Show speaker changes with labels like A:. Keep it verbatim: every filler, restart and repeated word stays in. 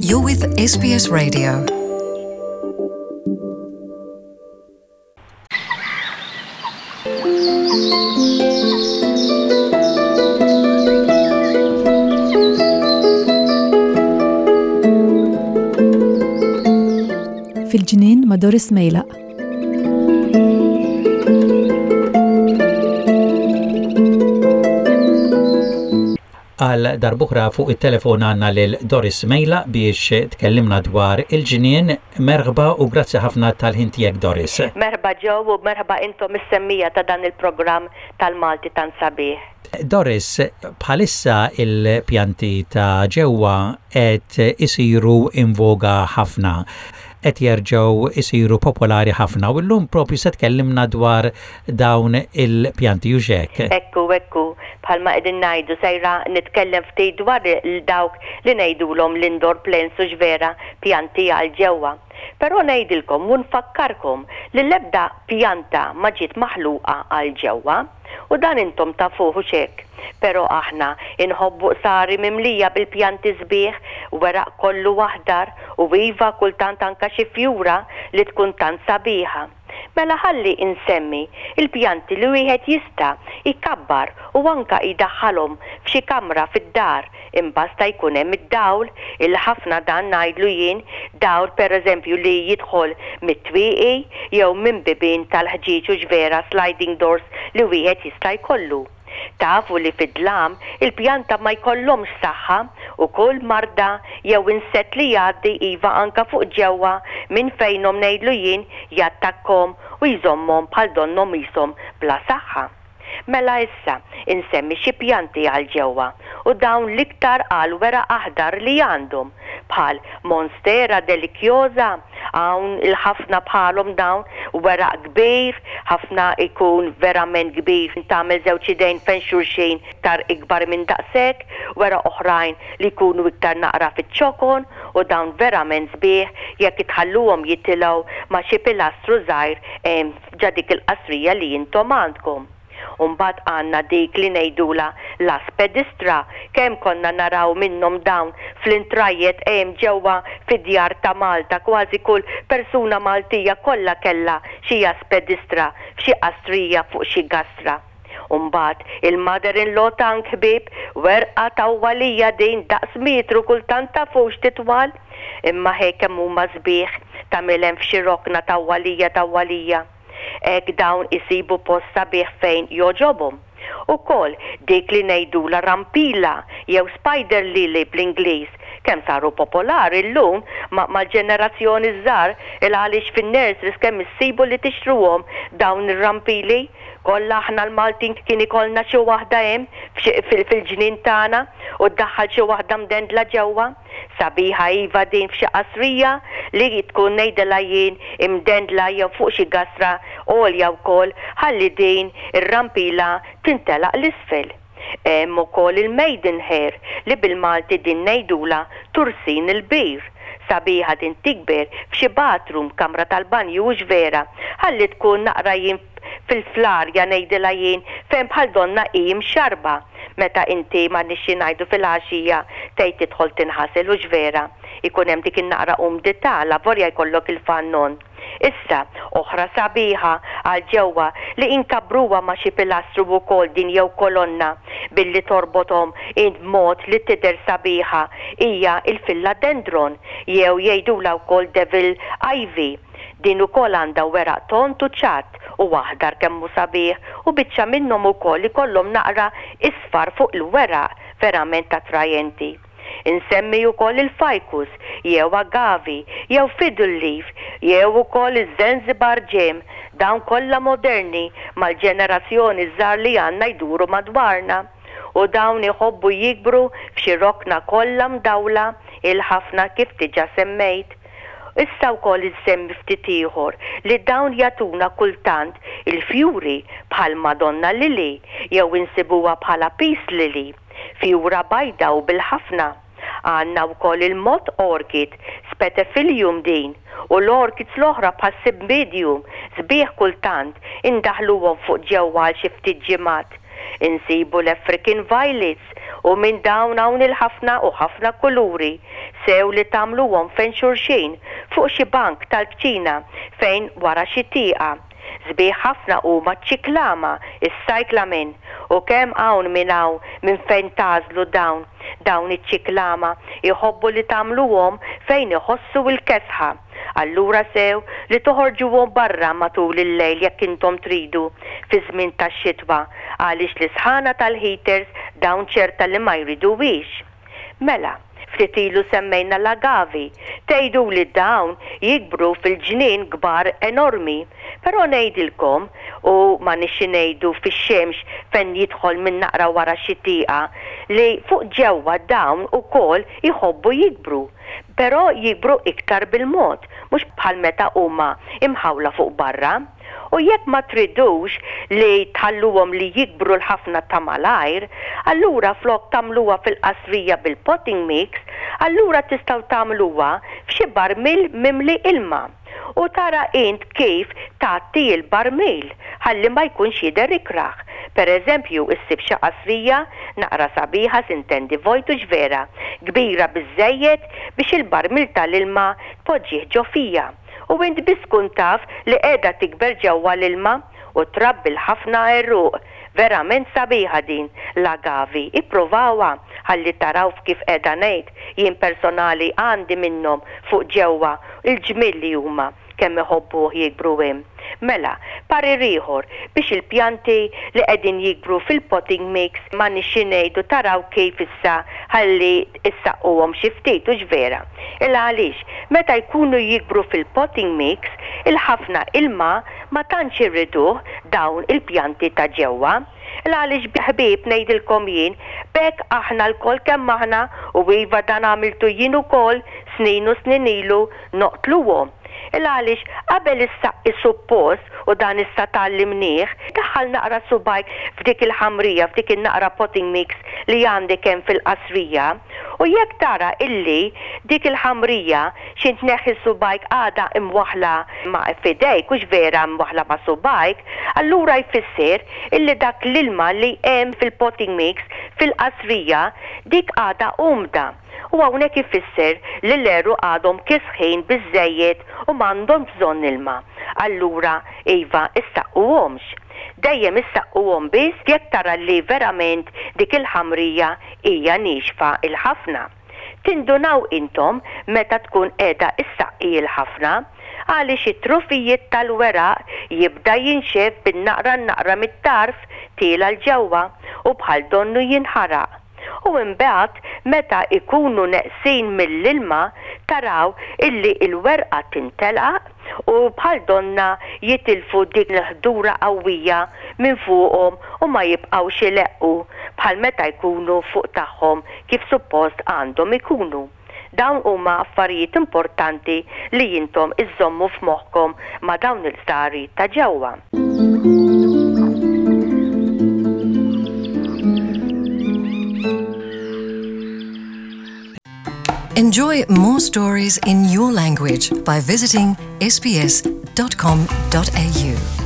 A: You're with S B S Radio.
B: Fil-ġnien ma' Doris Mejlaq.
C: Għal darb'oħra fuq it-telefon għandna lil Doris Mejlaq biex tkellimna dwar il-ġnien. Merħba u grazzi ħafna tal-ħin tiegħek, Doris.
D: Merħba ġew u merħba intom is-semmiegħa ta' dan il-programm tal-Malti tant sabiħ.
C: Doris, bħalissa il-pjanti ta' ġewwa qed isiru in voga ħafna, qed jerġgħu isiru popolari ħafna, u llum propju se tkellimna dwar dawn il-pjanti, hux hekk?
D: Ekku, ekku, bħalma qegħdin ngħidu, sejra nitkellem ftit dwar dawk li ngħidulhom l-indoor plants, u vera pjanti għal ġewwa. Però ngħidilkom u nfakkarkom li l-ebda pjanta ma ġiet maħluqa għal ġewwa u dan intom tafuh, hux hekk? Però aħna inħobbu qsari mimlija bil-pjanti sbieħ, weraq kollu aħdar u iva, kultant anka xi fjura li tkun tant sabiħa. Mela ħalli insemmi il-pjanti li wieħed jista' jkabbar u anka jdaħħalhom f'xi kamra fid-dar, imbasta jkun hemm id-dawl il-ħafna. Dan ngħidlu jien dawl, pereżempju, li jidħol mit-twieqi jew minn bibien tal-ħġieġ, u vera sliding doors li wieħed jista' jkollu. Tafu li fid-dlam il-pjanta ma jkollhomx saħħa u kull marda jew insett li jgħaddi, iva, anka fuq ġewwa minn fejnhom, ngħidlu jien, jattakkom u jżommhom bħal donnhom ishom bla saħħa. Mela issa insemmi xi pjanti għal ġewwa u dawn l-iktar għal weraq aħdar li għandhom, bħal Monstera deliciosa. Hawn il-ħafna bħalhom dawn, weraq kbir, ħafna, ikun verament kbir, tagħmel żewġ idejn fejn xulxin, iktar ikbar minn daqshekk, weraq oħrajn li jkunu iktar naqra fiċ-ċokon, u dawn verament sbieħ jekk itħalluhom jitilgħu ma' xi pilastru żgħir ġo dik il-qasrija li intom għandkom. Umbagħad għandna dik li ngħidula l-aspidistra. Kemm konna naraw minnhom dawn fl-intrajiet hemm ġewwa fid-djar ta' Malta. Kważi kull persuna Maltija kollha kellha xi aspidistra f'xi qastrija fuq xi gastra. Umbagħad il-mother-in-law tongue, ħbieb, werqa tawwalija din, daqs metru kultant, tafux titwal. Imma ħej kemm huma sbieħ, tagħmilhom f'xi rokna tawwalija tawwalija. Hekk dawn isibu post sabiħ fejn jogħġobhom. Ukoll dik li ngħidula rampila jew spider lily bl-Ingliż, kemm saru popolari llum ma' mal-ġenerazzjoni żgħar, il għaliex fin-nurseries kemm issibu li tixtruhom dawn ir-rampili. Kollha aħna l-Maltin kien ikollna xi waħda hemm fil-ġnien tagħna u ddaħħal xi waħda mdendla ġewwa. Sabiħa iva din f'xi qasrija li tkun, ngħidilha jien, imdendla jew fuq xi gastra għolja wkoll, ħalli din ir-rampila tintelaq l-isfel. Hemm ukoll il-maidenhair, li bil-Malti din ngħidula tursin il-bir. Sabiħa din tikber f'xi bathroom, kamra tal-banju, hux vera, ħalli tkun naqra jien fil-flarja, ngħidilha jien, fejn bħal donna hi mxarba meta inti ma nixxi ngħidu fil-għaxija tgħid tidħol tinħasel, hux vera, ikun hemm dik in-naqra umdità la volja jkollok il-fan on. Issa, oħra sabiħa għal ġewwa li inkabbruha ma' xi pilastru wkoll din jew kolonna billi torbothom in mod li tidher sabiħa hija il-philodendron jew jgħidula wkoll devil ivy. Din ukoll għandha weraq tond u ċatt u aħdar, kemm hu sabiħ, u biċċa minnhom ukoll ikollhom naqra isfar fuq il-weraq, verament attrajenti. Insemmi wkoll il-ficus jew agavi jew fiddle leaf jew ukoll iż-Zanzibar gem, dawn kollha moderni mal-ġenerazzjoni żgħar li għandna jduru madwarna. U dawn iħobbu jikbru f'xi rokna kollha mdawla il-ħafna, kif diġà semmejt. Issa wkoll insemmi ftit ieħor li dawn jagħtuna kultant il-fjuri, bħal Madonna Lily jew insibuha bħala Peace Lily, fjura bajda u bil-ħafna. Għandna wkoll il-moth orchid, Spathiphyllum din, u l-orchids l-oħra bħal Cymbidium, sbieħ kultant indaħluhom fuq ġewwa għal xi ftit ġimgħat. Insibu l-African violets. U minn dawn hawn il-ħafna u ħafna kuluri, sew li tagħmluhom fejn xulxin, fuq xi bank tal-kċina, fejn wara xi tieqa. Sbieħ ħafna huma ċ-ċiklama, is-cyclamen, u kemm hawn minn hawn minn fejn tagħżlu dawn. Dawn iċ-ċiklama jħobbu li tagħmluhom fejn iħossu l-kesħa. Allura sew li toħorġuhom barra matul il-lejl jekk intom tridu fi żmien tax-xitwa, għaliex l-isħana tal-heaters dawn ċerta li ma jriduhiex. Mela, ftit ilu semmejna l-agavi. Tgħidu li dawn jikbru fil-ġnien kbar enormi. Però ngħidilkom, u ma nixi ngħidu fix-xemx fejn jidħol minn naqra wara xi tieqa, li fuq ġewwa dawn ukoll jħobbu jikbru. Però jikbru iktar bil-mod, mhux bħal meta huma imħawla fuq barra. U jekk ma tridux li tħalluhom li jikbru l-ħafna ta' malajr, allura flok tagħmluha fil-qasrija bil-potting mix, allura tistgħu tagħmluha f'xi barmil mimli ilma. U tara int kif tgħatti il-barmil ħalli ma jkunx jidher ikrah. Per eżempju, issib xi qasrija naqra sabiħa, sintendi vojt u vera, kbira biżejjed biex il-barmil tal-ilma tpoġġih ġo fija. U int biss tkun taf li qiegħda tikber ġewwa l-ilma u trabbi l-ħafna għeruq. Verament sabiħa din l-agavi. Ipprovawha ħalli taraw kif qiegħda ngħid. Jien personali għandi minnhom fuq ġewwa, il-ġmiel li huma kemm iħobbuh jikbru hemm. Mela, parir ieħor biex il-pjanti li qegħdin jikbru fil-potting mix ma nixi ngħidu taraw kif issa ħalli issaqquhom xi ftit, hux vera. Il għaliex meta jkunu jikbru fil-potting mix il-ħafna ilma ma tantx irriduh dawn il-pjanti ta' ġewwa. Il għaliex ħbieb ngħidilkom jien, b'hekk aħna lkoll kemm aħna, u iva dan għamiltu jien ukoll snin u snin ilu, noqtluhom. Il għaliex qabel issaqqi suppost, u dan issa tgħallimnieh, daħħal naqra subajk f'dik il-ħamrija, f'dik in-naqra potting mix li għandek hemm fil-qasrija, u jekk tara illi dik il-ħamrija xi tneħħi subajk għadha imwaħla ma' f'idejk, hux vera imwaħla ma' subajk, allura jfisser illi dak l-ilma li hemm fil-potting mix fil-qasrija dik għadha umda. U hawnhekk ifisser li l-għeruq għadhom kisħin biżejjed u m'għandhom bżonn ilma. Allura iva issaqquhomx. Dejjem issaqquhom biss jekk tara li verament dik il-ħamrija hija niexfa il-ħafna. Tindunaw intom meta tkun qiegħda issaqqi il-ħafna, għaliex it-trufijiet tal-weraq jibda jinxef bin-naqra naqra mit-tarf tiela 'l ġewwa u bħal donnu jinħaraq. U imbagħad meta ikunu neqsin mill-ilma taraw illi il-werqa tintelaq u bħal donna jitilfu dik l-ħdura qawwija minn fuqhom u ma jibqgħux ileqqu bħal meta jkunu fuq tagħhom kif suppost għandhom ikunu. Dawn huma affarijiet importanti li intom iżommu f'moħħkom ma' dawn il-stari ta' ġewwa.
A: Enjoy more stories in your language by visiting S B S dot com dot A U.